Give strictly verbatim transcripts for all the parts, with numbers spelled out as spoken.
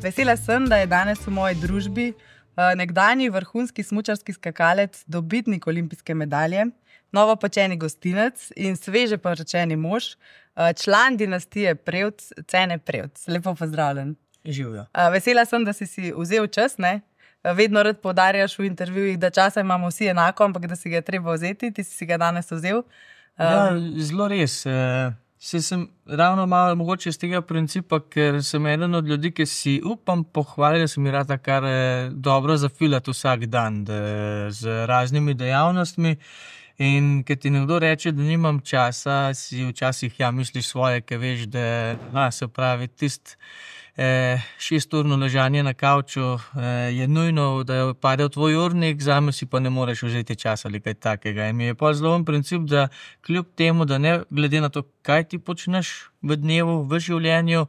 Vesela sem, da je danes v moji družbi uh, nekdanji vrhunski smučarski skakalec, dobitnik olimpijske medalje, novopečeni gostinec in sveže poročeni mož, uh, član dinastije Prevc, Cene Prevc. Lepo pozdravljen. Živijo. Uh, vesela sem, da si si vzel čas, ne? Vedno rad poudarjaš v intervjujih, da časa imamo vsi enako, ampak da si ga treba vzeti, ti si ga danes vzel. Um, ja, zelo res. Se sem ravno malo mogoče iz tega principa, ker sem eden od ljudi, ki si upam pohvaliti, da se mi rada kar dobro zafilati vsak dan da, z raznimi dejavnostmi. In ker ti nekdo reče, da nimam časa, si včasih ja, misliš svoje, ker veš, da a, se pravi tist eh, šesturno ležanje na kavču eh, je nujno, da pade v tvoj urnik, zame si pa ne moreš vzeti časa ali kaj takega. In mi je pa zelo en princip, da kljub temu, da ne glede na to, kaj ti počneš v dnevu, v življenju,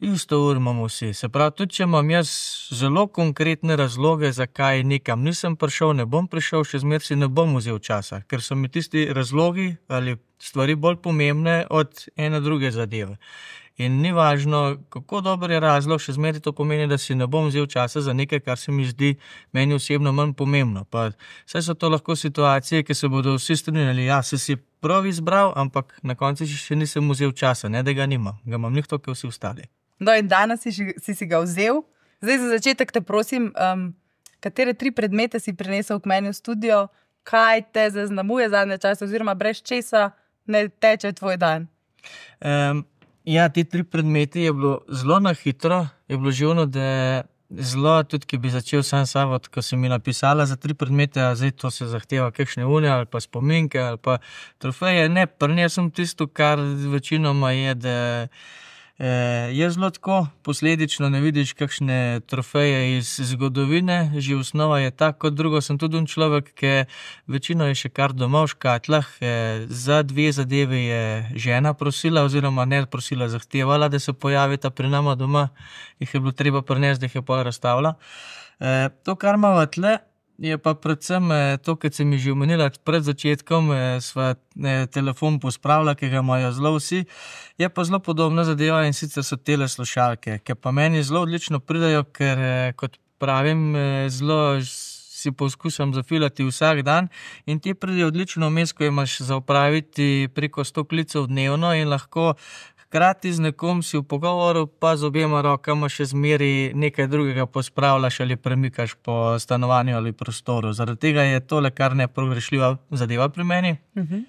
isto ur imamo vsi. Se pravi, tudi če imam jaz zelo konkretne razloge, zakaj nekam nisem prišel, ne bom prišel, še zmeraj si ne bom vzel časa, ker so mi tisti razlogi ali stvari bolj pomembne od ene druge zadeve. In ni važno, kako dober je razlog, še zmeraj to pomeni, da si ne bom vzel časa za nekaj, kar se mi zdi meni osebno manj pomembno. Pa saj so to lahko situacije, ki se bodo vsi strinjali, ja, se si prav izbral, ampak na koncu še nisem vzel časa, ne da ga nimam, ga imam njih to, kot vsi ostali. No in danes si, si si ga vzel. Zdaj za začetek te prosim, um, katere tri predmete si prinesel k meni v studio, kaj te zaznamuje zadnje čase oziroma brez česa ne teče tvoj dan? Um, ja, ti tri predmeti je bilo zelo na hitro, je bilo živno, da zelo tudi, ki bi začel sam savod, ko si mi napisala za tri predmete, a zdaj to se zahteva kakšne une ali pa spominke ali pa trofeje. Ne, prinesem tisto, kar večinoma je, da Eh, je zelo tako, posledično ne vidiš kakšne trofeje iz zgodovine, že osnova je tak, kot drugo sem tudi un človek, ki večino je še kar doma v škatlah, eh, za dve zadeve je žena prosila oziroma ne prosila, zahtevala, da se pojavita pri nama doma, jih je bilo treba prinesti, da jih je pol razstavila. Eh, to, kar imamo tle, je pa predvsem to, kar sem mi že omenila pred začetkom, sva telefon pospravila, ki ga imajo zelo vsi, je pa zelo podobna zadeva in sicer so tele slušalke, ki pa meni zelo odlično pridajo, ker kot pravim, zelo si poskušam zafilati vsak dan in ti pridajo odlično vmes, ko imaš za opraviti preko sto klicev dnevno in lahko hkrati z nekom si v pogovoru, pa z obema rokama še zmeri nekaj drugega pospravljaš ali premikaš po stanovanju ali prostoru. Zaradi tega je tole kar nepogrešljiva zadeva pri meni. Uh-huh.